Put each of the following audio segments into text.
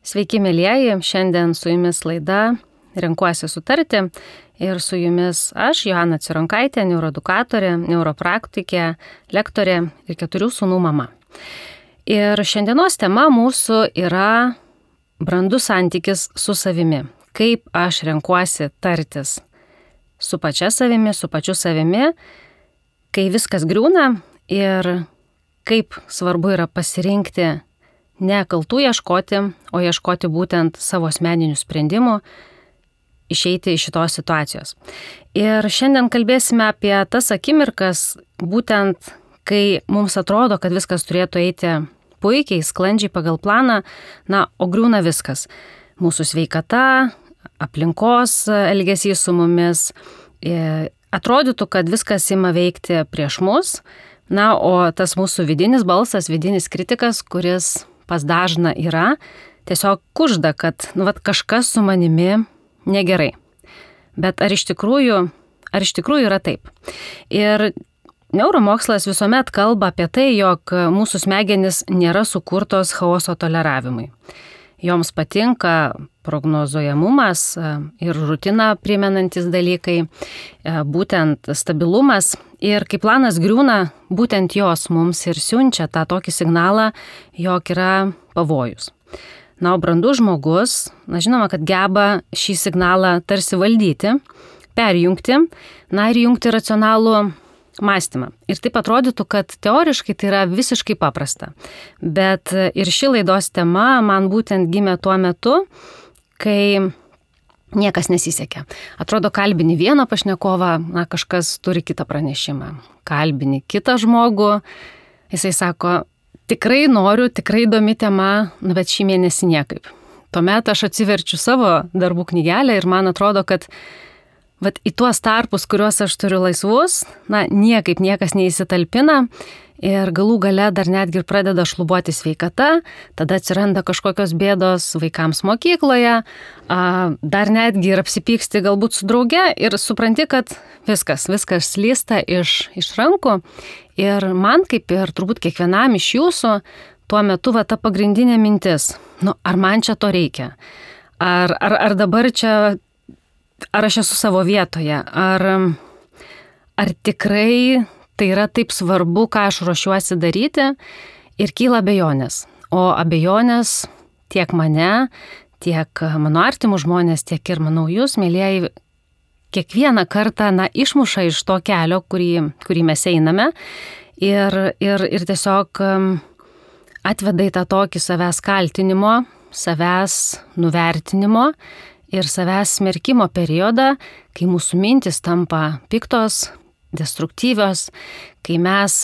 Sveiki, mielieji, šiandien su jumis laida Renkuosi sutarti ir su jumis aš, Joana Cironkaitė, neuroedukatorė, neuropraktikė, lektorė ir 4 sūnų mama. Ir šiandienos tema mūsų yra brandus santykis su savimi. Kaip aš renkuosi tartis su pačia savimi, su pačiu savimi, kai viskas griūna ir kaip svarbu yra pasirinkti ne kaltų ieškoti, o ieškoti būtent savo asmeninių sprendimų, išeiti iš šitos situacijos. Ir šiandien kalbėsime apie tas akimirkas, būtent kai mums atrodo, kad viskas turėtų eiti puikiai, sklandžiai pagal planą, o griūna viskas. Mūsų sveikata, aplinkos elgesys su mumis. Atrodytų, kad viskas ima veikti prieš mus, o tas mūsų vidinis balsas, vidinis kritikas, kuris pas dažną yra, tiesiog kužda, kad kažkas su manimi negerai. Bet ar iš tikrųjų yra taip? Ir neuromokslas visuomet kalba apie tai, jog mūsų smegenys nėra sukurtos chaoso toleravimui. Joms patinka prognozuojamumas ir rutiną primenantis dalykai, būtent stabilumas. Ir kai planas griūna, būtent jos mums ir siunčia tą tokį signalą, jog yra pavojus. O brandus žmogus, žinoma, kad geba šį signalą tarsi valdyti, perjungti, ir jungti racionalų mąstymą. Ir taip atrodytų, kad teoriškai tai yra visiškai paprasta. Bet ir ši laidos tema man būtent gimė tuo metu, kai niekas nesisekė. Atrodo, kalbini vieną pašnekovą, kažkas turi kitą pranešimą. Kalbini kitą žmogų, jisai sako, tikrai noriu, tikrai įdomi tema, bet šį mėnesį niekaip. Tuomet aš atsiverčiu savo darbų knygelę ir man atrodo, kad į tuos tarpus, kuriuos aš turiu laisvus, niekaip niekas neįsitalpina ir galų gale dar netgi ir pradeda šlubuoti sveikata, tada atsiranda kažkokios bėdos vaikams mokykloje, dar netgi ir apsipyksti galbūt su drauge ir supranti, kad viskas slysta iš rankų ir man kaip ir turbūt kiekvienam iš jūsų tuo metu ta pagrindinė mintis, ar man čia to reikia, ar dabar čia ar aš esu savo vietoje, ar tikrai tai yra taip svarbu, ką aš ruošiuosi daryti ir kyla abejonės. O abejonės tiek mane, tiek mano artimų žmonės, tiek ir manau jūs, mielieji, kiekvieną kartą išmuša iš to kelio, kurį mes einame ir tiesiog atveda į tą tokį savęs kaltinimo, savęs nuvertinimo ir savęs smerkimo periodą, kai mūsų mintis tampa piktos, destruktyvios, kai mes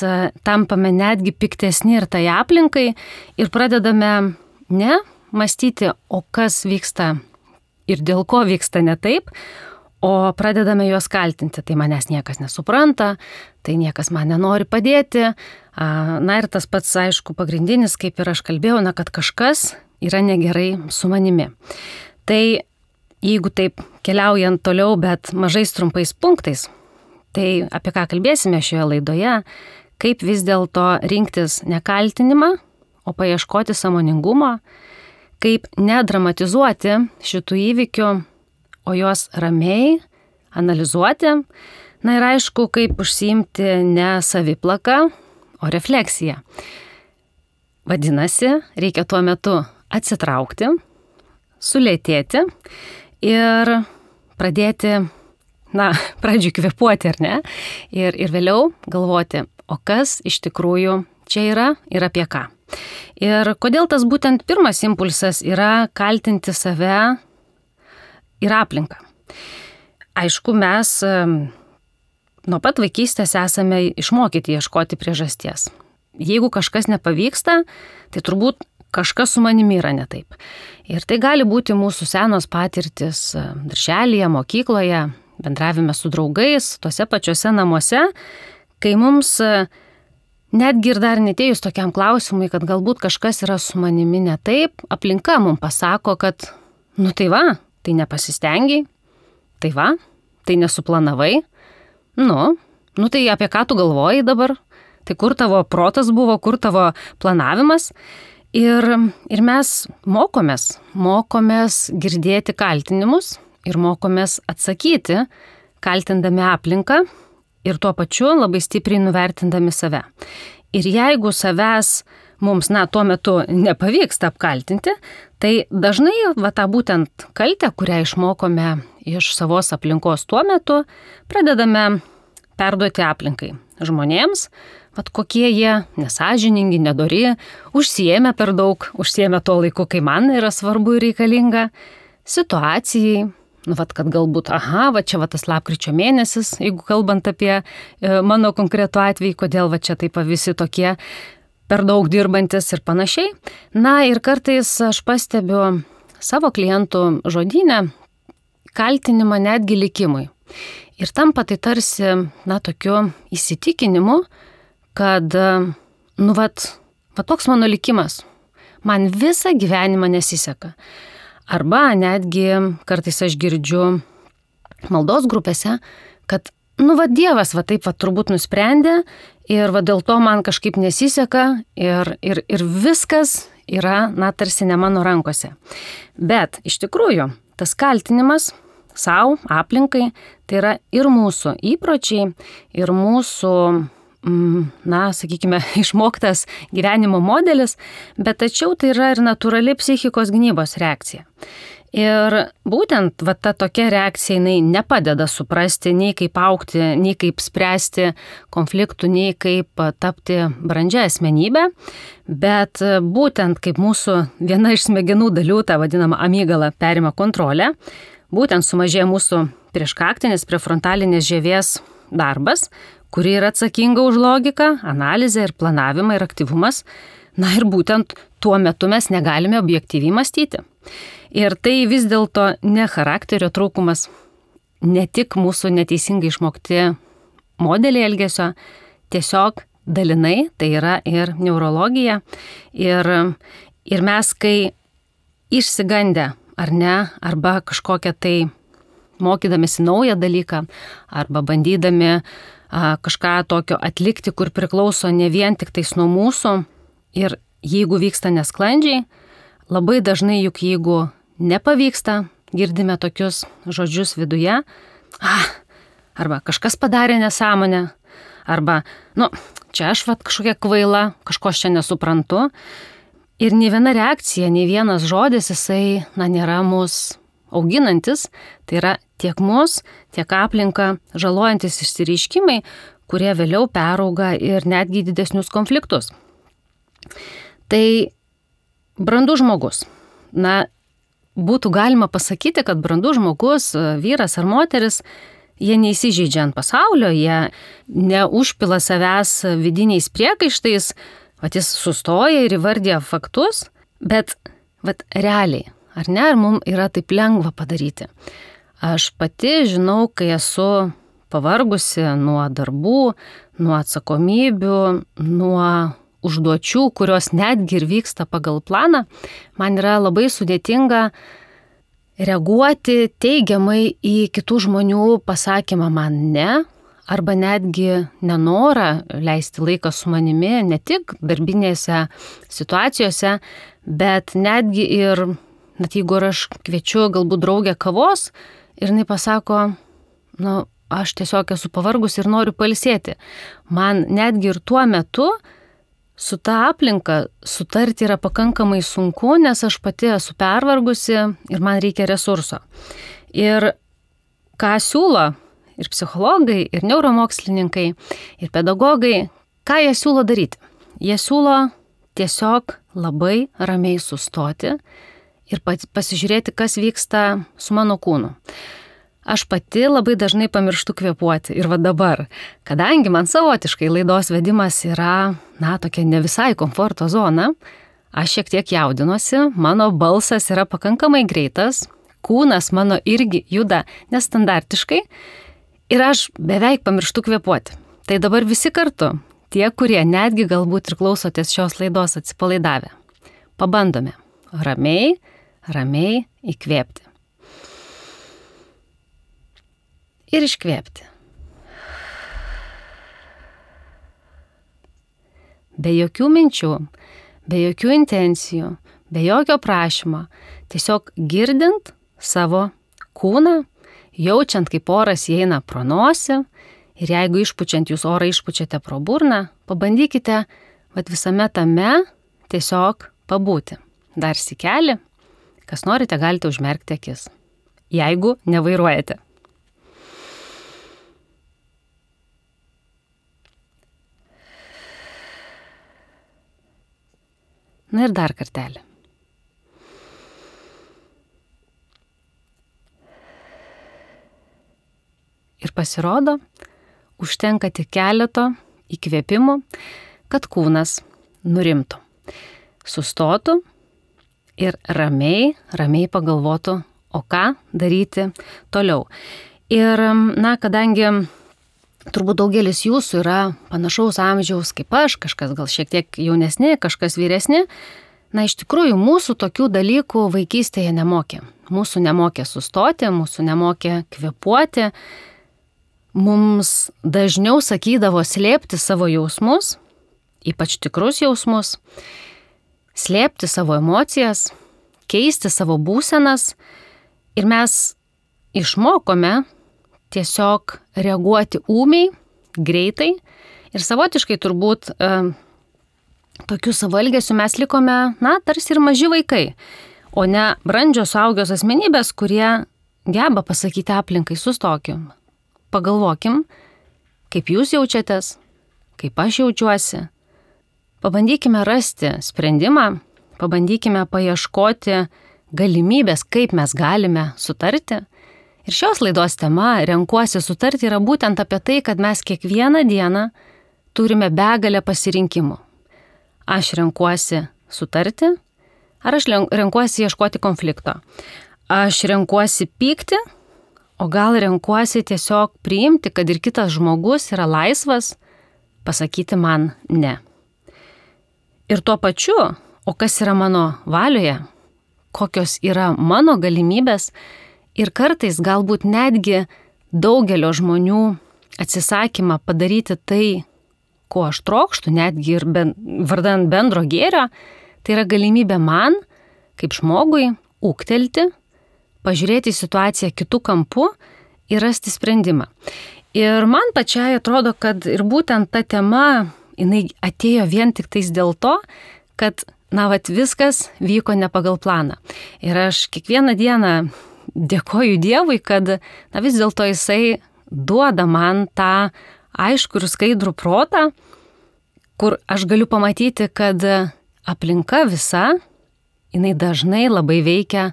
tampame netgi piktesni ir tai aplinkai ir pradedame ne mąstyti, o kas vyksta ir dėl ko vyksta ne taip, o pradedame juos kaltinti. Tai manęs niekas nesupranta, tai niekas man nenori padėti. Ir tas pats, aišku, pagrindinis, kaip ir aš kalbėjau, kad kažkas yra negerai su manimi. Tai jeigu taip keliaujant toliau, bet mažais trumpais punktais, tai apie ką kalbėsime šioje laidoje, kaip vis dėlto rinktis ne kaltinimą, o paieškoti sąmoningumo, kaip nedramatizuoti šitų įvykių, o juos ramiai analizuoti, ir aišku, kaip užsiimti ne saviplaką, o refleksiją. Vadinasi, reikia tuo metu atsitraukti, sulėtėti, ir pradėti, pradžiui kvėpuoti, ar ne? Ir vėliau galvoti, o kas iš tikrųjų čia yra ir apie ką. Ir kodėl tas būtent pirmas impulsas yra kaltinti save ir aplinką. Aišku, mes nuo pat vaikystės esame išmokyti ieškoti priežasties. Jeigu kažkas nepavyksta, tai turbūt kažkas su manimi yra ne taip. Ir tai gali būti mūsų senos patirtis darželyje, mokykloje, bendravime su draugais, tuose pačiuose namuose, kai mums netgi ir dar netėjus tokiam klausimui, kad galbūt kažkas yra su manimi ne taip, aplinka mums pasako, kad tai nepasistengiai, tai nesuplanavai, tai apie ką tu galvoji dabar, tai kur tavo protas buvo, kur tavo planavimas. Ir mes mokomės girdėti kaltinimus ir mokomės atsakyti, kaltindami aplinką ir tuo pačiu labai stipriai nuvertindami save. Ir jeigu savęs mums, tuo metu nepavyksta apkaltinti, tai dažnai tą būtent kaltę, kurią išmokome iš savos aplinkos tuo metu, pradedame perduoti aplinkai, žmonėms, kokie jie nesąžiningi, nedori, užsiėmė per daug, užsiėmė tuo laiku, kai man yra svarbu ir reikalinga, situacijai, kad galbūt, čia tas lapkričio mėnesis, jeigu kalbant apie mano konkretų atvejį, kodėl čia taip visi tokie per daug dirbantis ir panašiai. Ir kartais aš pastebiu savo klientų žodyne kaltinimą netgi likimui. Ir tampa tai tarsi, tokiu įsitikinimu, kad, toks mano likimas, man visą gyvenimą nesiseka. Arba netgi kartais aš girdžiu maldos grupėse, kad, Dievas taip turbūt nusprendė ir dėl to man kažkaip nesiseka ir viskas yra, tarsi ne mano rankose. Bet iš tikrųjų, tas kaltinimas savo, aplinkai, tai yra ir mūsų įpročiai, ir mūsų, sakykime, išmoktas gyvenimo modelis, bet tačiau tai yra ir natūrali psichikos gynybos reakcija. Ir būtent ta tokia reakcija jinai nepadeda suprasti nei kaip augti, nei kaip spręsti konfliktų, nei kaip tapti brandžia asmenybė, bet būtent kaip mūsų viena iš smegenų dalių, ta vadinama amygdala, perima kontrolę, būtent sumažėja mūsų prieškaktinės prefrontalinės žievės darbas, kuri yra atsakinga už logiką, analizę ir planavimą ir aktyvumas. Ir būtent tuo metu mes negalime objektyviai mąstyti. Ir tai vis dėlto ne charakterio trūkumas, ne tik mūsų neteisingai išmokti modeliai elgesio, tiesiog dalinai tai yra ir neurologija. Ir mes, kai išsigandę ar ne, arba kažkokią tai mokydamėsi naują dalyką, arba bandydami kažką tokio atlikti, kur priklauso ne vien tik tais nuo mūsų, ir jeigu vyksta nesklandžiai, labai dažnai juk jeigu nepavyksta, girdime tokius žodžius viduje, arba kažkas padarė nesąmonę, arba, čia aš kažkokia kvaila, kažko aš čia nesuprantu. Ir nei viena reakcija, nei vienas žodis, jisai, nėra mus auginantis, tai yra tiek mus, tiek aplinką žalojantis išsireiškimai, kurie vėliau perauga ir netgi didesnius konfliktus. Tai brandus žmogus. Būtų galima pasakyti, kad brandus žmogus, vyras ar moteris, jie neįsižeidžia ant pasaulio, jie neužpila savęs vidiniais priekaištais, jis sustoja ir įvardija faktus, bet realiai, ar mums yra taip lengva padaryti. Aš pati žinau, kai esu pavargusi nuo darbų, nuo atsakomybių, nuo užduočių, kurios netgi ir vyksta pagal planą, man yra labai sudėtinga reaguoti teigiamai į kitų žmonių pasakymą man ne, arba netgi nenorą leisti laiką su manimi, ne tik darbinėse situacijose, bet netgi ir, jeigu aš kviečiu galbūt draugę kavos ir jinai pasako, aš tiesiog esu pavargus ir noriu pailsėti. Man netgi ir tuo metu su ta aplinka sutarti yra pakankamai sunku, nes aš pati esu pervargusi ir man reikia resurso. Ir ką siūlo ir psichologai, ir neuromokslininkai, ir pedagogai, ką jie siūlo daryti? Jie siūlo tiesiog labai ramiai sustoti ir pasižiūrėti, kas vyksta su mano kūnu. Aš pati labai dažnai pamirštu kvėpuoti ir dabar, kadangi man savotiškai laidos vedimas yra, tokia ne visai komforto zona, aš šiek tiek jaudinuosi, mano balsas yra pakankamai greitas, kūnas mano irgi juda nestandartiškai ir aš beveik pamirštu kvėpuoti. Tai dabar visi kartu, tie, kurie netgi galbūt ir klausotės šios laidos atsipalaidavę, pabandome ramiai įkvėpti. Ir iškvėpti. Be jokių minčių, be jokių intencijų, be jokio prašymo, tiesiog girdint savo kūną, jaučiant, kaip oras įeina pro nosį ir jeigu išpučiant jūs orą išpučiate pro burną, pabandykite visame tame tiesiog pabūti. Dar sykelį, kas norite, galite užmerkti akis, jeigu nevairuojate. Na ir dar kartelį. Ir pasirodo, užtenka tik keleto įkvėpimų, kad kūnas nurimtų, sustotų ir ramiai pagalvotų, o ką daryti toliau. Ir, kadangi turbūt daugelis jūsų yra panašaus amžiaus kaip aš, kažkas gal šiek tiek jaunesni, kažkas vyresni, iš tikrųjų mūsų tokių dalykų vaikystėje nemokė. Mūsų nemokė sustoti, mūsų nemokė kvėpuoti. Mums dažniau sakydavo slėpti savo jausmus, ypač tikrus jausmus, slėpti savo emocijas, keisti savo būsenas ir mes išmokome tiesiog reaguoti ūmiai, greitai ir savotiškai turbūt tokiu savo elgesiu mes likome, tarsi ir maži vaikai, o ne brandžios suaugios asmenybės, kurie geba pasakyti aplinkai sustokim, pagalvokim, kaip jūs jaučiatės, kaip aš jaučiuosi. Pabandykime rasti sprendimą, pabandykime paieškoti galimybės, kaip mes galime sutarti. Ir šios laidos tema renkuosi sutarti yra būtent apie tai, kad mes kiekvieną dieną turime begalę pasirinkimų. Aš renkuosi sutarti, ar aš renkuosi ieškoti konflikto. Aš renkuosi pykti, o gal renkuosi tiesiog priimti, kad ir kitas žmogus yra laisvas pasakyti man ne. Ir tuo pačiu, o kas yra mano valioje, kokios yra mano galimybės, ir kartais galbūt netgi daugelio žmonių atsisakymą padaryti tai, ko aš trokštų, netgi ir vardan bendro gėrio, tai yra galimybė man, kaip žmogui, ūgtelti, pažiūrėti į situaciją kitų kampų ir rasti sprendimą. Ir man pačiai atrodo, kad ir būtent ta tema, jinai atėjo vien tik tais dėl to, kad, viskas vyko ne pagal planą. Ir aš kiekvieną dieną dėkoju Dievui, kad vis dėlto jisai duoda man tą aiškų ir skaidrų protą, kur aš galiu pamatyti, kad aplinka visa, jinai dažnai labai veikia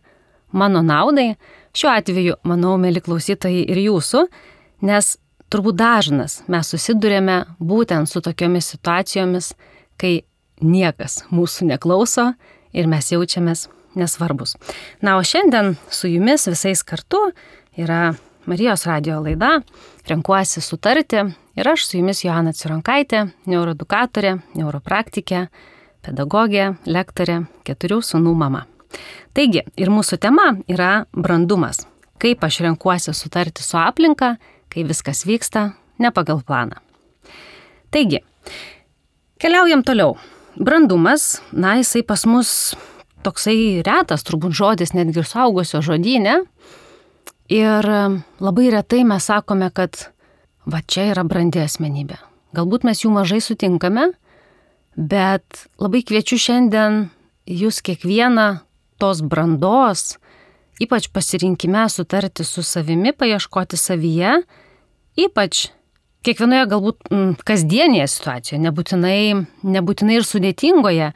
mano naudai. Šiuo atveju, manau, mieli klausytojai, ir jūsų, nes turbūt dažnas mes susidurėme būtent su tokiomis situacijomis, kai niekas mūsų neklauso ir mes jaučiamės nesvarbus. O šiandien su jumis visais kartu yra Marijos radijo laida Renkuosi sutarti ir aš su jumis Joana Cironkaitė, neuroedukatorė, neuropraktikė, pedagogė, lektorė, 4 sūnų mama. Taigi, ir mūsų tema yra brandumas. Kaip aš renkuosi sutarti su aplinka, kai viskas vyksta ne pagal planą. Taigi, keliaujam toliau. Brandumas, jisai pas mus toksai retas, turbūt žodis netgi ir suaugusio žodyne. Ir labai retai mes sakome, kad čia yra brandi asmenybė. Galbūt mes jų mažai sutinkame, bet labai kviečiu šiandien jūs kiekvieną tos brandos, ypač pasirinkime sutarti su savimi, paieškoti savyje, ypač kiekvienoje galbūt kasdienėje situacijoje, nebūtinai ir sudėtingoje,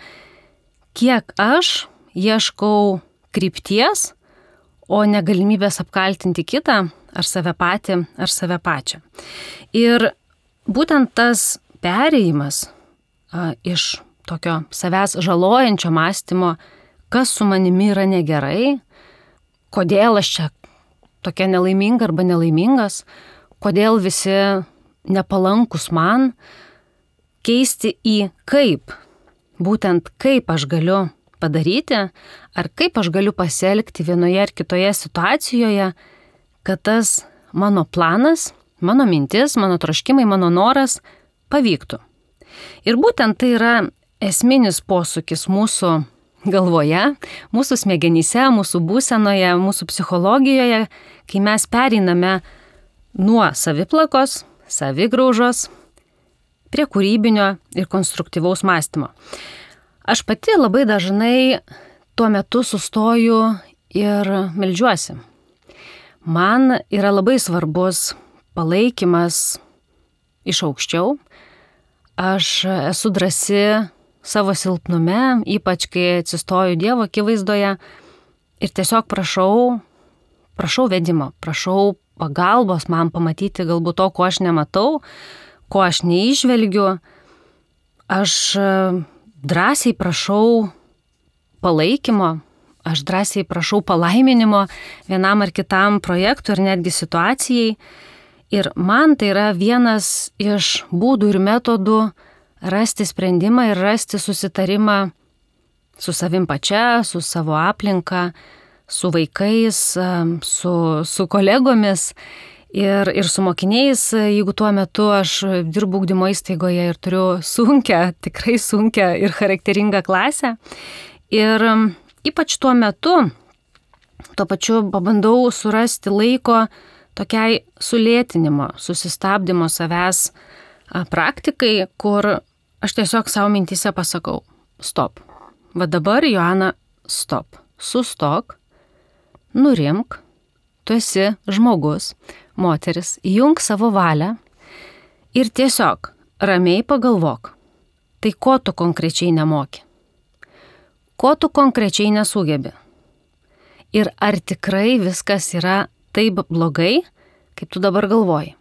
kiek aš ieškau krypties, o ne galimybės apkaltinti kitą, ar save patį, ar save pačią. Ir būtent tas perėjimas iš tokio savęs žalojančio mąstymo, kas su manimi yra negerai, kodėl aš čia tokia nelaiminga arba nelaimingas, kodėl visi nepalankus man, keisti į kaip, būtent kaip aš galiu padaryti, ar kaip aš galiu pasielgti vienoje ar kitoje situacijoje, kad tas mano planas, mano mintis, mano troškimai, mano noras pavyktų. Ir būtent tai yra esminis posūkis mūsų galvoje, mūsų smegenyse, mūsų būsenoje, mūsų psichologijoje, kai mes pereiname nuo saviplakos, savigraužos prie kūrybinio ir konstruktyvaus mąstymo. Aš pati labai dažnai tuo metu sustoju ir meldžiuosi. Man yra labai svarbus palaikymas iš aukščiau. Aš esu drąsi savo silpnume, ypač kai atsistoju Dievo akivaizdoje ir tiesiog prašau vedimo, prašau pagalbos man pamatyti galbūt to, ko aš nematau, ko aš neižvelgiu. Aš drąsiai prašau palaikymo, aš drąsiai prašau palaiminimo vienam ar kitam projektui ir netgi situacijai. Ir man tai yra vienas iš būdų ir metodų rasti sprendimą ir rasti susitarimą su savim pačia, su savo aplinka, su vaikais, su kolegomis ir su mokiniais, jeigu tuo metu aš dirbu ugdymo įstaigoje ir turiu tikrai sunkią ir charakteringą klasę. Ir ypač tuo metu, tuo pačiu pabandau surasti laiko tokiai sulėtinimo, susistabdymo savęs praktikai, kur aš tiesiog savo mintyse pasakau, stop. Va dabar, Joana, stop. Sustok, nurimk, tu esi žmogus, moteris, įjunk savo valią ir tiesiog ramiai pagalvok, tai ko tu konkrečiai nemoki, ko tu konkrečiai nesugebi ir ar tikrai viskas yra taip blogai, kaip tu dabar galvoji.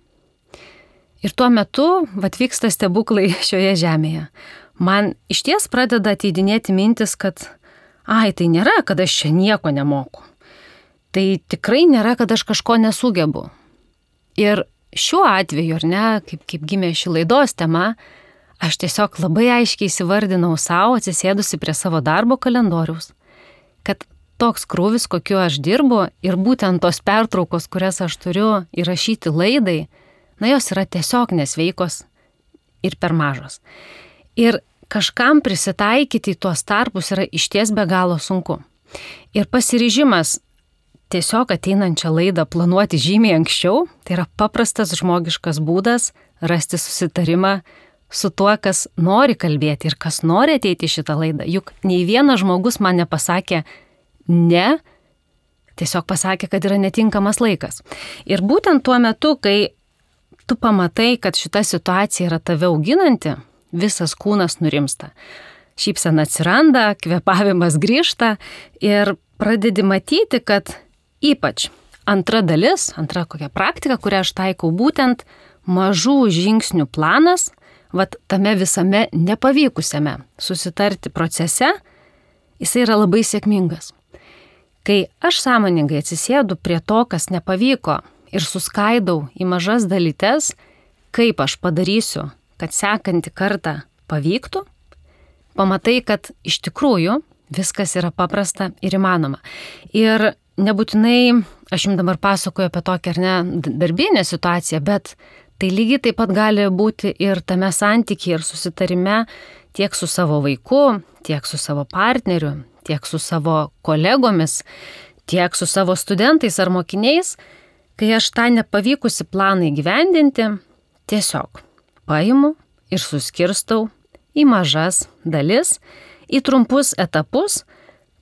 Ir tuo metu vyksta stebuklai šioje žemėje. Man išties pradeda ateidinėti mintis, kad tai nėra, kad aš čia nieko nemoku. Tai tikrai nėra, kad aš kažko nesugebu. Ir šiuo atveju, ar ne, kaip gimė ši laidos tema, aš tiesiog labai aiškiai įsivardinau savo, atsisėdusi prie savo darbo kalendoriaus, kad toks krūvis, kokiu aš dirbu ir būtent tos pertraukos, kurias aš turiu įrašyti laidai, jos yra tiesiog nesveikos ir per mažos. Ir kažkam prisitaikyti į tuos tarpus yra išties be galo sunku. Ir pasiryžimas tiesiog ateinančią laidą planuoti žymiai anksčiau, tai yra paprastas žmogiškas būdas rasti susitarimą su tuo, kas nori kalbėti ir kas nori ateiti į šitą laidą. Juk nei vienas žmogus man nepasakė ne, tiesiog pasakė, kad yra netinkamas laikas. Ir būtent tuo metu, kai tu pamatai, kad šita situacija yra tave auginanti, visas kūnas nurimsta. Šypsena atsiranda, kvėpavimas grįžta ir pradedi matyti, kad ypač antra kokia praktika, kurią aš taikau, būtent mažų žingsnių planas, tame visame nepavykusiame susitarti procese, jisai yra labai sėkmingas. Kai aš sąmoningai atsisėdu prie to, kas nepavyko ir suskaidau į mažas dalytes, kaip aš padarysiu, kad sekantį kartą pavyktų, pamatai, kad iš tikrųjų viskas yra paprasta ir įmanoma. Ir nebūtinai, aš jums dabar pasakoju apie tokią ar ne darbinę situaciją, bet tai lygiai taip pat gali būti ir tame santykyje ir susitarime tiek su savo vaiku, tiek su savo partneriu, tiek su savo kolegomis, tiek su savo studentais ar mokiniais, kai aš tą nepavykusi planą įgyvendinti, tiesiog paimu ir suskirstau į mažas dalis, į trumpus etapus,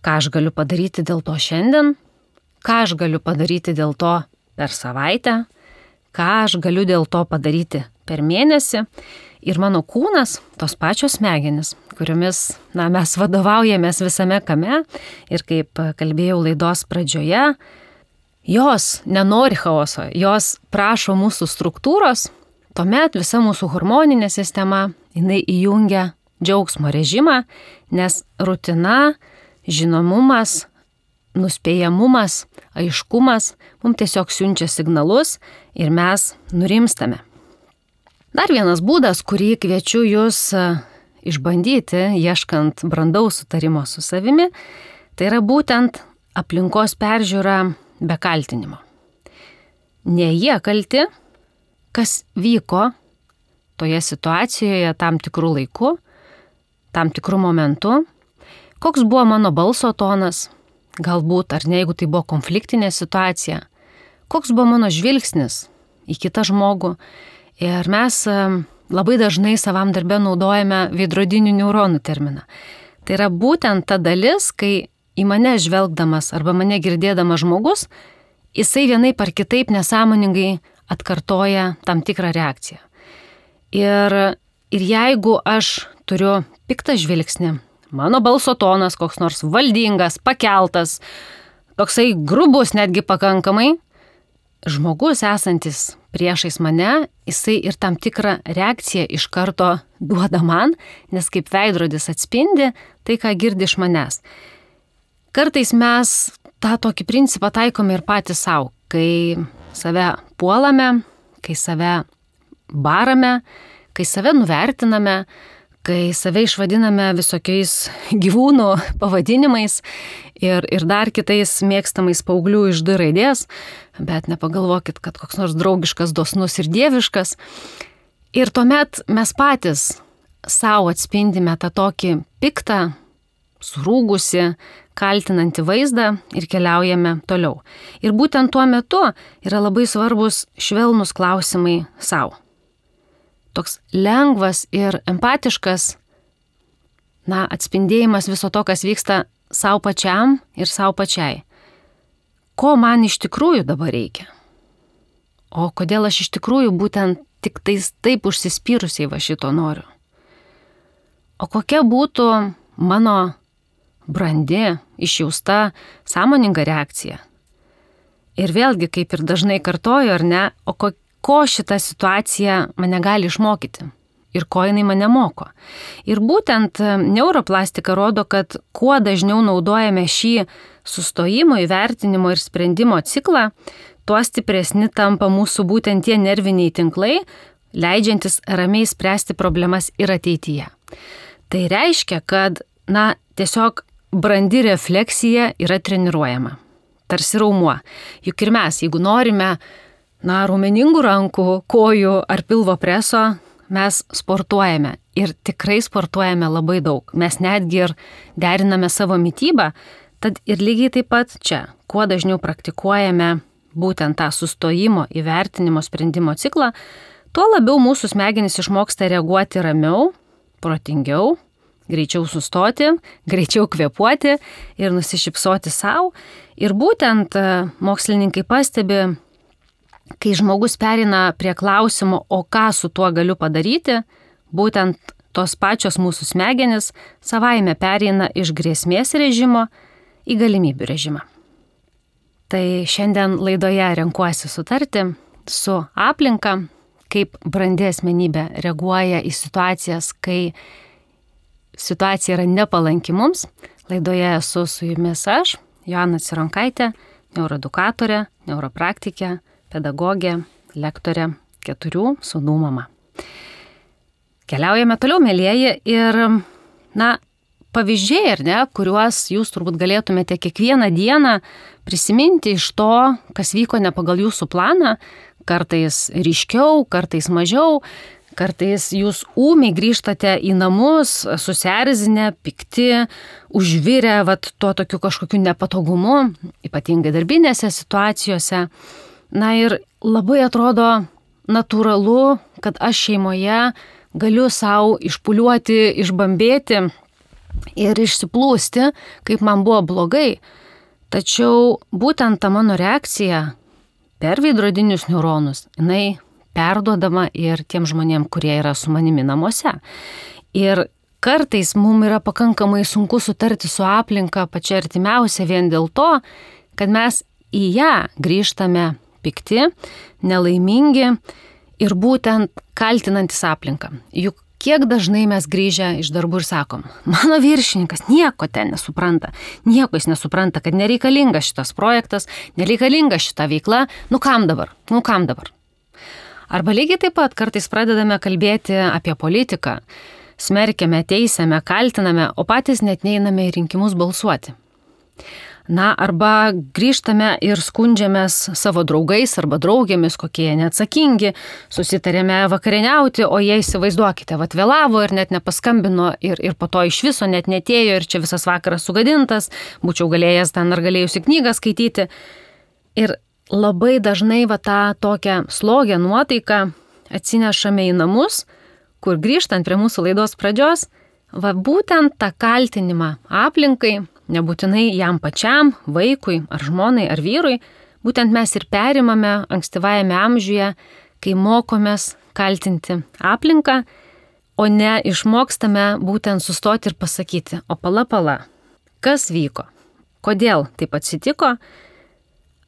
ką aš galiu padaryti dėl to šiandien, ką aš galiu padaryti dėl to per savaitę, ką aš galiu dėl to padaryti per mėnesį. Ir mano kūnas, tos pačios smegenys, kuriomis mes vadovaujamės visame kame ir kaip kalbėjau laidos pradžioje, jos nenori chaoso, jos prašo mūsų struktūros, tuomet visa mūsų hormoninė sistema, jinai įjungia džiaugsmo režimą, nes rutina, žinomumas, nuspėjamumas, aiškumas mums tiesiog siunčia signalus ir mes nurimstame. Dar vienas būdas, kurį kviečiu jūs išbandyti, ieškant brandaus sutarimo su savimi, tai yra būtent aplinkos peržiūra be kaltinimo. Ne jie kalti, kas vyko toje situacijoje tam tikrų laikų, tam tikrų momentų, koks buvo mano balso tonas, galbūt, ar ne, jeigu tai buvo konfliktinė situacija, koks buvo mano žvilgsnis į kitą žmogų. Ir mes labai dažnai savam darbe naudojame veidrodinių neuronų terminą. Tai yra būtent ta dalis, kai į mane žvelgdamas arba mane girdėdamas žmogus, jisai vienaip ar kitaip nesąmoningai atkartoja tam tikrą reakciją. Ir jeigu aš turiu piktą žvilgsnį, mano balso tonas koks nors valdingas, pakeltas, toksai grubus netgi pakankamai, žmogus esantis priešais mane, jisai ir tam tikrą reakciją iš karto duoda man, nes kaip veidrodis atspindi tai, ką girdi iš manęs. Kartais mes tą tokį principą taikome ir patys savo, kai save puolame, kai save barame, kai save nuvertiname, kai save išvadiname visokiais gyvūnų pavadinimais ir dar kitais mėgstamais paauglių iš D raidės, bet nepagalvokit, kad koks nors draugiškas, dosnus ir dieviškas. Ir tuomet mes patys savo atspindime tą tokį piktą, surūgusi, kaltinantį vaizdą ir keliaujame toliau. Ir būtent tuo metu yra labai svarbus švelnus klausimai savo. Toks lengvas ir empatiškas, atspindėjimas viso to, kas vyksta savo pačiam ir savo pačiai. Ko man iš tikrųjų dabar reikia? O kodėl aš iš tikrųjų būtent tik taip užsispyrusiai va šito noriu? O kokia būtų mano brandi, išjausta, sąmoninga reakcija? Ir vėlgi, kaip ir dažnai kartoju, ar ne, o ko šita situacija mane gali išmokyti ir ko jinai mane moko. Ir būtent neuroplastika rodo, kad kuo dažniau naudojame šį sustojimo, įvertinimo ir sprendimo ciklą, tuo stipresni tampa mūsų būtent tie nerviniai tinklai, leidžiantis ramiai spręsti problemas ir ateityje. Tai reiškia, kad, tiesiog brandi refleksija yra treniruojama. Tarsi raumuo. Juk ir mes, jeigu norime raumeningų rankų, kojų ar pilvo preso, mes sportuojame ir tikrai sportuojame labai daug. Mes netgi ir deriname savo mitybą, tad ir lygiai taip pat čia, kuo dažniau praktikuojame būtent tą sustojimo, įvertinimo, sprendimo ciklą, tuo labiau mūsų smegenys išmoksta reaguoti ramiau, protingiau, greičiau sustoti, greičiau kvėpuoti ir nusišypsoti savo. Ir būtent mokslininkai pastebi, kai žmogus pereina prie klausimo, o ką su tuo galiu padaryti, būtent tos pačios mūsų smegenys savaime pereina iš grėsmės režimo į galimybių režimą. Tai šiandien laidoje renkuosi sutarti su aplinka, kaip brandi asmenybė reaguoja į situacijas, kai situacija yra nepalanki mums. Laidoje esu su jumis aš, Joana Cironkaitė, neuroedukatorė, neuropraktikė, pedagogė, lektorė, 4 sūnų mama. Keliaujame toliau, mielieji, ir, pavyzdžiai, ar ne, kuriuos jūs turbūt galėtumėte kiekvieną dieną prisiminti iš to, kas vyko ne pagal jūsų planą, kartais ryškiau, kartais mažiau, kartais jūs ūmiai grįžtate į namus, susierzinę, pikti, užvirę, tuo tokiu kažkokiu nepatogumu, ypatingai darbinėse situacijose. Ir labai atrodo natūralu, kad aš šeimoje galiu savo išpuliuoti, išbambėti ir išsiplūsti, kaip man buvo blogai. Tačiau būtent ta mano reakcija per veidrodinius neuronus, jinai perduodama ir tiem žmonėm, kurie yra su manimi namuose. Ir kartais mums yra pakankamai sunku sutarti su aplinka pačia artimiausia vien dėl to, kad mes į ją grįžtame pikti, nelaimingi ir būtent kaltinantis aplinką. Juk kiek dažnai mes grįžę iš darbų ir sakom, mano viršininkas nieko ten nesupranta, nieko jis nesupranta, kad nereikalingas šitas projektas, nereikalinga šita veikla, kam dabar? Arba lygiai taip pat kartais pradedame kalbėti apie politiką, smerkiame, teisiame, kaltiname, o patys net neiname į rinkimus balsuoti. Arba grįžtame ir skundžiamės savo draugais arba draugėmis, kokie jie neatsakingi, susitarėme vakarieniauti, o jie įsivaizduokite, vėlavo ir net nepaskambino ir po to iš viso net netėjo ir čia visas vakaras sugadintas, būčiau galėjęs ten ar galėjusi knygą skaityti. Ir labai dažnai tą tokią slogę nuotaiką atsinešame į namus, kur grįžtant prie mūsų laidos pradžios, būtent tą kaltinimą aplinkai, nebūtinai jam pačiam, vaikui ar žmonai ar vyrui, būtent mes ir perimame ankstyvajame amžiuje, kai mokomės kaltinti aplinką, o ne išmokstame būtent sustoti ir pasakyti, o pala, kas vyko, kodėl taip atsitiko,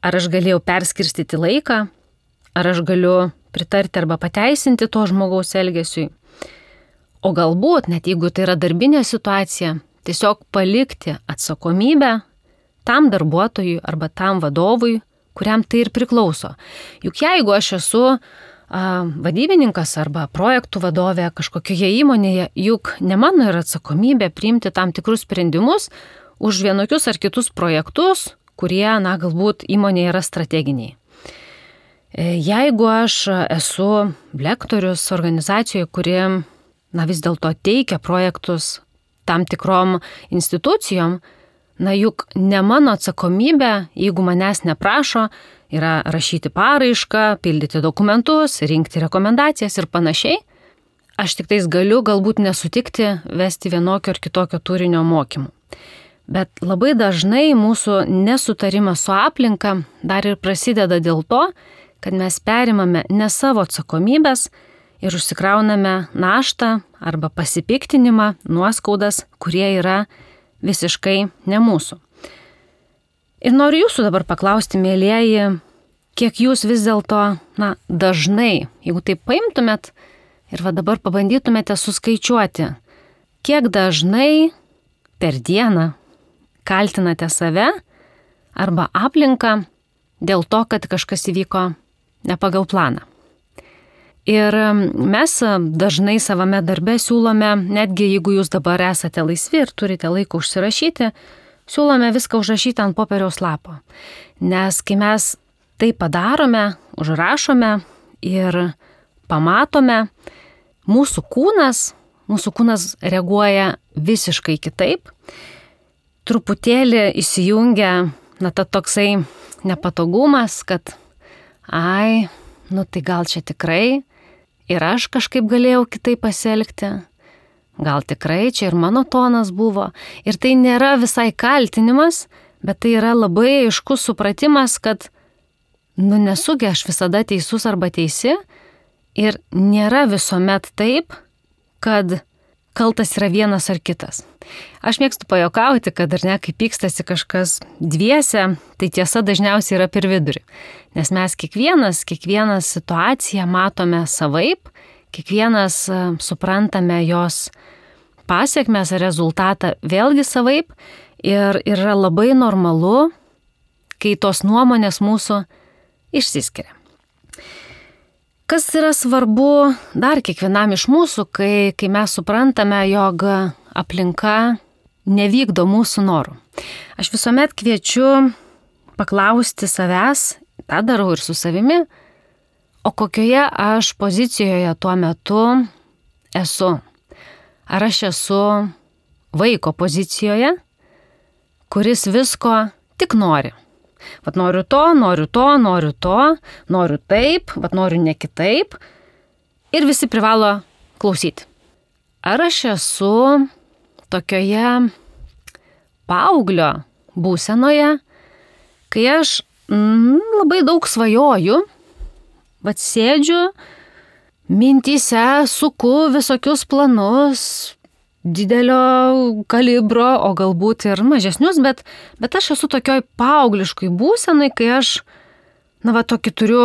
ar aš galėjau perskirstyti laiką, ar aš galiu pritarti arba pateisinti to žmogaus elgesiui. O galbūt, net jeigu tai yra darbinė situacija, tiesiog palikti atsakomybę tam darbuotojui arba tam vadovui, kuriam tai ir priklauso. Juk jeigu aš esu vadybininkas arba projektų vadovė kažkokioje įmonėje, juk ne mano yra atsakomybė priimti tam tikrus sprendimus už vienokius ar kitus projektus, kurie, galbūt įmonėje yra strateginiai. Jeigu aš esu lektorius organizacijoje, kuri vis dėlto teikia projektus tam tikrom institucijom, juk ne mano atsakomybė, jeigu manęs neprašo, yra rašyti paraišką, pildyti dokumentus, rinkti rekomendacijas ir panašiai. Aš tik tais galiu galbūt nesutikti vesti vienokio ar kitokio turinio mokymų. Bet labai dažnai mūsų nesutarimas su aplinka dar ir prasideda dėl to, kad mes perimame ne savo atsakomybės ir užsikrauname naštą arba pasipiktinimą, nuoskaudas, kurie yra visiškai ne mūsų. Ir noriu jūsų dabar paklausti, mielieji, kiek jūs vis dėlto, dažnai, jeigu taip paimtumėt ir dabar pabandytumėte suskaičiuoti, kiek dažnai per dieną kaltinate save arba aplinką dėl to, kad kažkas įvyko ne pagal planą. Ir mes dažnai savame darbe siūlome, netgi jeigu jūs dabar esate laisvi ir turite laiko užsirašyti, siūlome viską užrašyti ant popieriaus lapo. Nes kai mes tai padarome, užrašome ir pamatome, mūsų kūnas reaguoja visiškai kitaip. Truputėlį įsijungia, ta toksai nepatogumas, kad tai gal čia tikrai ir aš kažkaip galėjau kitaip pasielgti. Gal tikrai čia ir mano tonas buvo. Ir tai nėra visai kaltinimas, bet tai yra labai aiškus supratimas, kad nesugi aš visada teisus arba teisi ir nėra visuomet taip, kad kaltas yra vienas ar kitas. Aš mėgstu pajuokauti, kad kai pykstasi kažkas dviese, tai tiesa dažniausiai yra per vidurį. Nes mes kiekvieną situaciją matome savaip, kiekvienas suprantame jos pasiekmes ar rezultatą vėlgi savaip ir yra labai normalu, kai tos nuomonės mūsų išsiskiria. Kas yra svarbu dar kiekvienam iš mūsų, kai mes suprantame, jog aplinka nevykdo mūsų norų. Aš visuomet kviečiu paklausti savęs, tą darau ir su savimi, o kokioje aš pozicijoje tuo metu esu. Ar aš esu vaiko pozicijoje, kuris visko tik nori. Noriu to, noriu taip, noriu ne kitaip. Ir visi privalo klausyti. Ar aš esu tokioje paauglio būsenoje, kai aš labai daug svajoju, sėdžiu, mintyse suku visokius planus, didelio kalibro, o galbūt ir mažesnius, bet aš esu tokioj paaugliškai būsenai, kai aš, tokį turiu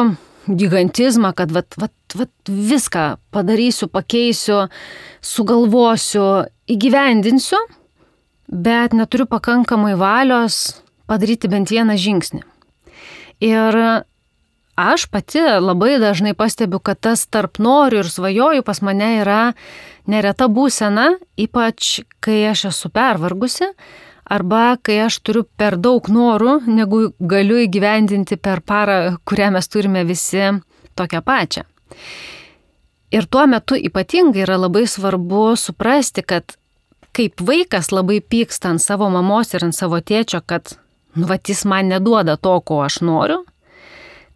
gigantizmą, kad viską padarysiu, pakeisiu, sugalvosiu, įgyvendinsiu, bet neturiu pakankamai valios padaryti bent vieną žingsnį. Ir aš pati labai dažnai pastebiu, kad tas tarp noriu ir svajoju pas mane yra nereta būsena, ypač kai aš esu pervargusi arba kai aš turiu per daug norų, negu galiu įgyvendinti per parą, kurią mes turime visi tokią pačią. Ir tuo metu ypatingai yra labai svarbu suprasti, kad kaip vaikas labai pyksta ant savo mamos ir ant savo tėčio, kad jis man neduoda to, ko aš noriu,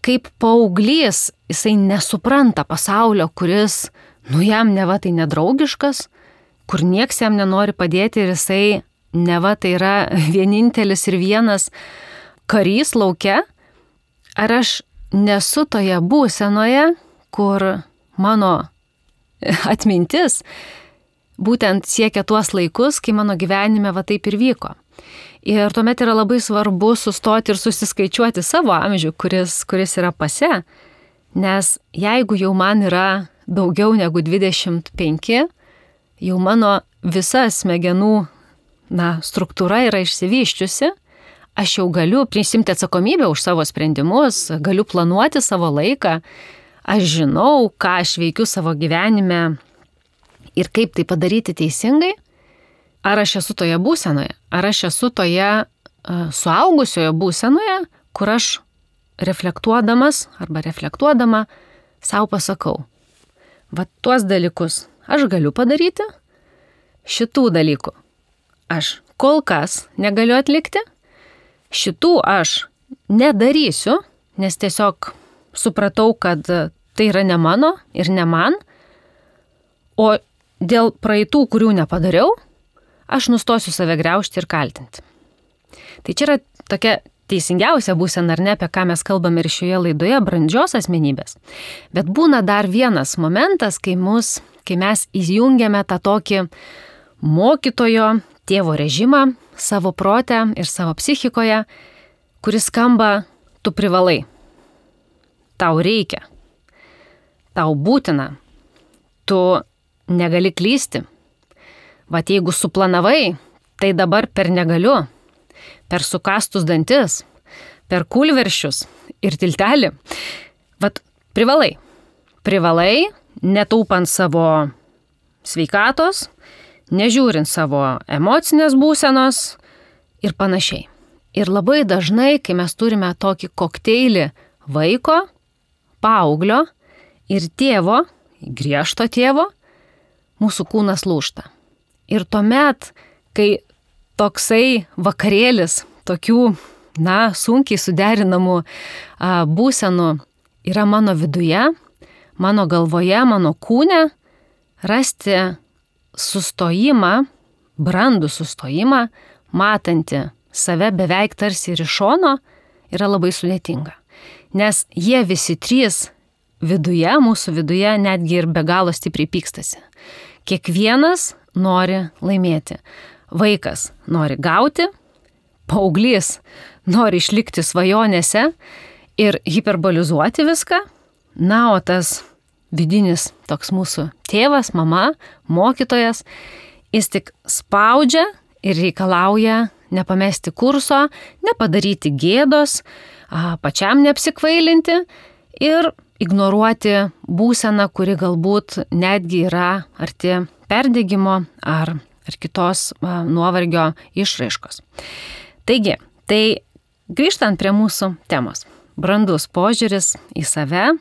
kaip paauglys jisai nesupranta pasaulio, kuris, jam neva tai nedraugiškas, kur nieks jam nenori padėti ir jisai neva tai yra vienintelis ir vienas karys lauke, ar aš nesu toje būsenoje, kur mano atmintis būtent siekia tuos laikus, kai mano gyvenime taip ir vyko. Ir tuomet yra labai svarbu sustoti ir susiskaičiuoti savo amžių, kuris yra pase, nes jeigu jau man yra daugiau negu 25, jau mano visa smegenų struktūra yra išsivyščiusi, aš jau galiu prisimti atsakomybę už savo sprendimus, galiu planuoti savo laiką, aš žinau, ką aš veikiu savo gyvenime ir kaip tai padaryti teisingai. Ar aš esu toje būsenoje, ar aš esu toje suaugusioje būsenoje, kur aš reflektuodamas arba reflektuodama savo pasakau, tuos dalykus aš galiu padaryti, šitų dalykų aš kol kas negaliu atlikti, šitų aš nedarysiu, nes tiesiog supratau, kad tai yra ne mano ir ne man, o dėl praeitų, kurių nepadariau, aš nustosiu save griaužti ir kaltinti. Tai čia yra tokia teisingiausia būsena, ar ne, apie ką mes kalbame ir šioje laidoje, brandžios asmenybės. Bet būna dar vienas momentas, kai mes įjungiame tą tokį mokytojo, tėvo režimą savo prote ir savo psichikoje, kuris skamba, tu privalai, tau reikia, tau būtina, tu negali klysti. Jeigu suplanavai, tai dabar per negaliu, per sukastus dantis, per kūlveršius ir tiltelį. Privalai, netaupant savo sveikatos, nežiūrint savo emocinės būsenos ir panašiai. Ir labai dažnai, kai mes turime tokį kokteilį vaiko, paauglio ir tėvo, griežto tėvo, mūsų kūnas lūžta. Ir tuomet, kai toksai vakarėlis, tokių, sunkiai suderinamų būsenų yra mano viduje, mano galvoje, mano kūne, rasti sustojimą, brandų sustojimą, matantį save beveik tarsi ir iš šono, yra labai sudėtinga. Nes jie visi trys viduje, mūsų viduje, netgi ir be galo stipriai pykstasi. Kiekvienas nori laimėti. Vaikas nori gauti, paauglys nori išlikti svajonėse ir hiperbolizuoti viską, o tas vidinis toks mūsų tėvas, mama, mokytojas, jis tik spaudžia ir reikalauja nepamesti kurso, nepadaryti gėdos, pačiam neapsikvailinti ir ignoruoti būseną, kuri galbūt netgi yra arti perdegimo ar kitos nuovargio išraiškos. Taigi, tai grįžtant prie mūsų temos. Brandus požiūris į save,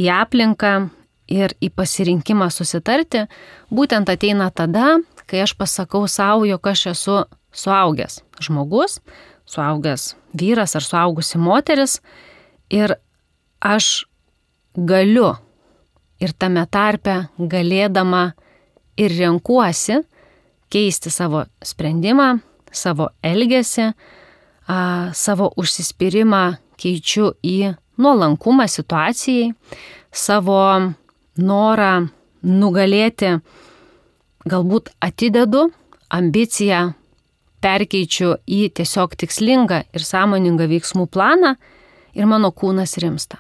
į aplinką ir į pasirinkimą susitarti būtent ateina tada, kai aš pasakau savo, jog aš esu suaugęs žmogus, suaugęs vyras ar suaugusi moteris ir aš galiu ir tame tarpe galėdama ir renkuosi keisti savo sprendimą, savo elgesį, savo užsispyrimą keičiu į nuolankumą situacijai, savo norą nugalėti galbūt atidedu, ambiciją perkeičiu į tiesiog tikslingą ir sąmoningą veiksmų planą ir mano kūnas rimsta.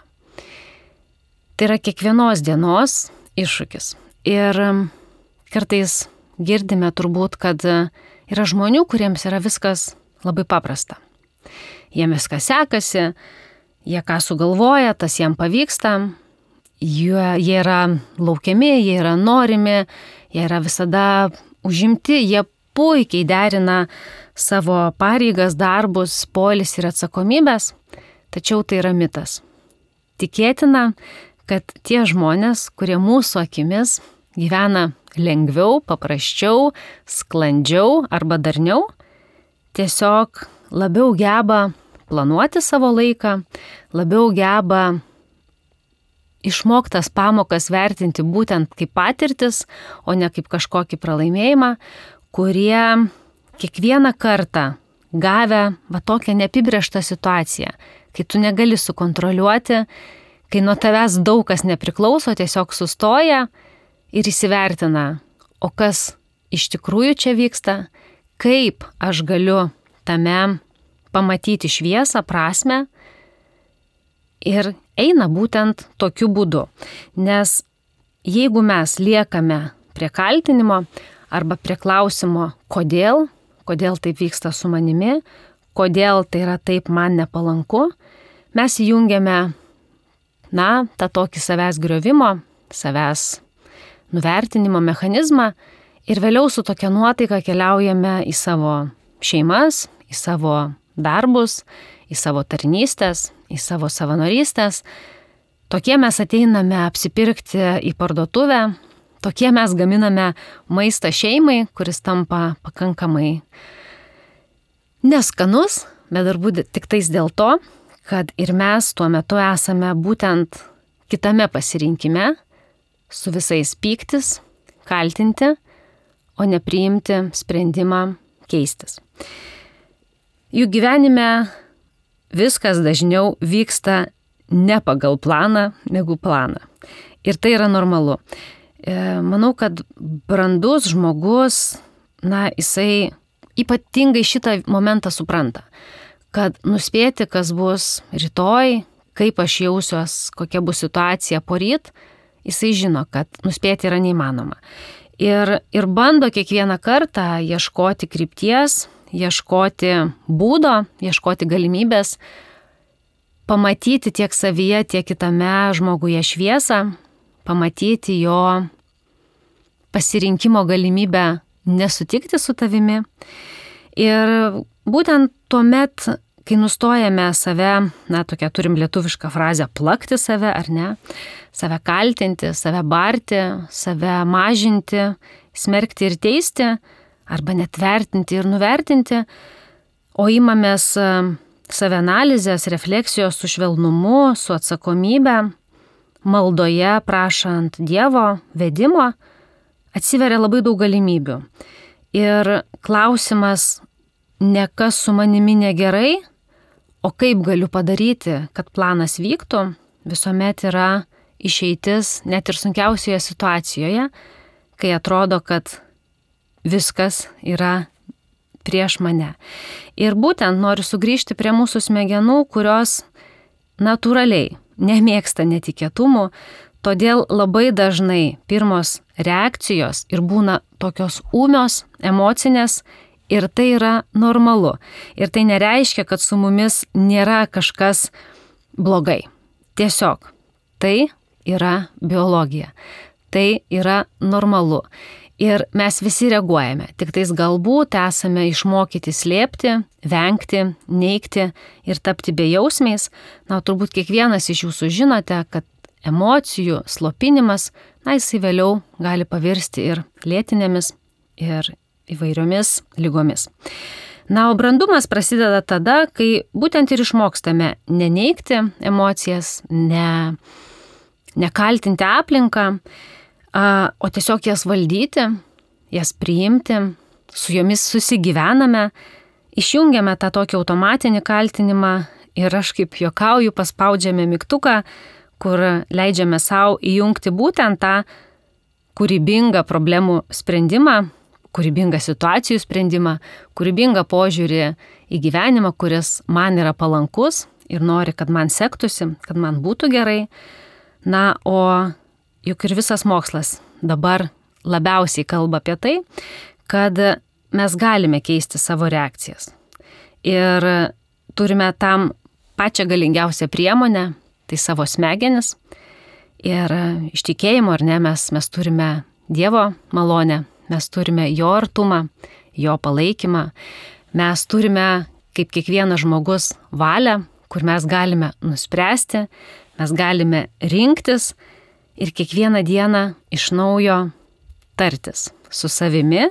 Tai yra kiekvienos dienos iššūkis. Ir kartais girdime turbūt, kad yra žmonių, kuriems yra viskas labai paprasta. Jiem viskas sekasi, jie ką sugalvoja, tas jiem pavyksta, jie yra laukiami, jie yra norimi, jie yra visada užimti, jie puikiai derina savo pareigas, darbus, poilsį ir atsakomybės, tačiau tai yra mitas. Tikėtina, kad tie žmonės, kurie mūsų akimis gyvena lengviau, paprasčiau, sklandžiau arba darniau, tiesiog labiau geba planuoti savo laiką, labiau geba išmoktas pamokas vertinti būtent kaip patirtis, o ne kaip kažkokį pralaimėjimą, kurie kiekvieną kartą gavę tokią neapibrėžtą situaciją, kai tu negali sukontroliuoti, kai nuo tavęs daug kas nepriklauso, tiesiog sustoja ir įsivertina, o kas iš tikrųjų čia vyksta, kaip aš galiu tame pamatyti šviesą, prasmę ir eina būtent tokiu būdu. Nes jeigu mes liekame prie kaltinimo arba prie klausimo, kodėl taip vyksta su manimi, kodėl tai yra taip man nepalanku, mes įjungiame, tą tokį savęs griovimo, savęs nuvertinimo mechanizmą ir vėliau su tokia nuotaika keliaujame į savo šeimas, į savo darbus, į savo tarnystės, į savo savanorystės. Tokie mes ateiname apsipirkti į parduotuvę, tokie mes gaminame maistą šeimai, kuris tampa pakankamai neskanus, bet turbūt tik tais dėl to, kad ir mes tuo metu esame būtent kitame pasirinkime, su visais pyktis, kaltinti, o ne priimti sprendimą keistis. Jų gyvenime viskas dažniau vyksta ne pagal planą, negu planą. Ir tai yra normalu. Manau, kad brandus žmogus, jisai ypatingai šitą momentą supranta, kad nuspėti, kas bus rytoj, kaip aš jausiuos, kokia bus situacija poryt, jisai žino, kad nuspėti yra neįmanoma. Ir bando kiekvieną kartą ieškoti krypties, ieškoti būdo, ieškoti galimybės, pamatyti tiek savyje, tiek kitame žmoguje šviesą, pamatyti jo pasirinkimo galimybę nesutikti su tavimi. Ir būtent tuomet, kai nustojame save, tokia turim lietuvišką frazę, plakti save ar ne, save kaltinti, save barti, save mažinti, smerkti ir teisti, arba net vertinti ir nuvertinti, o imamės savianalizės, refleksijos su švelnumu, su atsakomybė, maldoje prašant Dievo vedimo, atsiveria labai daug galimybių. Ir klausimas ne kas su manimi negerai, o kaip galiu padaryti, kad planas vyktų, visuomet yra išeitis net ir sunkiausioje situacijoje, kai atrodo, kad viskas yra prieš mane. Ir būtent noriu sugrįžti prie mūsų smegenų, kurios natūraliai nemėgsta netikėtumų, todėl labai dažnai pirmos reakcijos ir būna tokios ūmios, emocinės, ir tai yra normalu. Ir tai nereiškia, kad su mumis nėra kažkas blogai. Tiesiog tai yra biologija. Tai yra normalu. Ir mes visi reaguojame, tik tais galbūt esame išmokyti slėpti, vengti, neigti ir tapti bejausmiais. Turbūt kiekvienas iš jūsų žinote, kad emocijų slopinimas, jisai vėliau gali pavirsti ir lėtinėmis, ir įvairiomis lygomis. O brandumas prasideda tada, kai būtent ir išmokstame neneigti emocijas, nekaltinti aplinką, o tiesiog jas valdyti, jas priimti, su jomis susigyvename, išjungiame tą tokį automatinį kaltinimą ir aš kaip juokauju, paspaudžiame mygtuką, kur leidžiame savo įjungti būtent tą kūrybingą problemų sprendimą, kūrybingą situacijų sprendimą, kūrybingą požiūrį į gyvenimą, kuris man yra palankus ir nori, kad man sektųsi, kad man būtų gerai. O juk ir visas mokslas dabar labiausiai kalba apie tai, kad mes galime keisti savo reakcijas. Ir turime tam pačią galingiausią priemonę, tai savo smegenis. Ir iš tikėjimo, ar ne, mes turime Dievo malonę, mes turime jo artumą, jo palaikymą, Mes turime, kaip kiekvienas žmogus, valią, kur mes galime nuspręsti, mes galime rinktis ir kiekvieną dieną iš naujo tartis su savimi,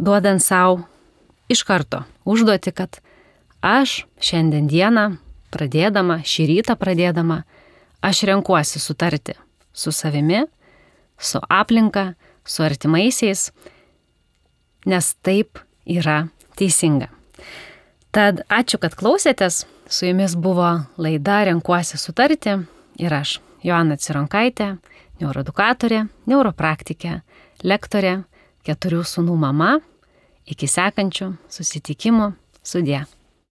duodant savo iš karto užduoti, kad aš šiandien dieną pradėdama, šį rytą pradėdama, aš renkuosi sutarti su savimi, su aplinka, su artimaisiais, nes taip yra teisinga. Tad ačiū, kad klausėtės. Su jumis buvo laida Renkuosi sutarti ir aš, Joana Cironkaitė, neuroedukatorė, neuropraktikė, lektorė, 4 sūnų mama. Iki sekančių susitikimų. Sudie.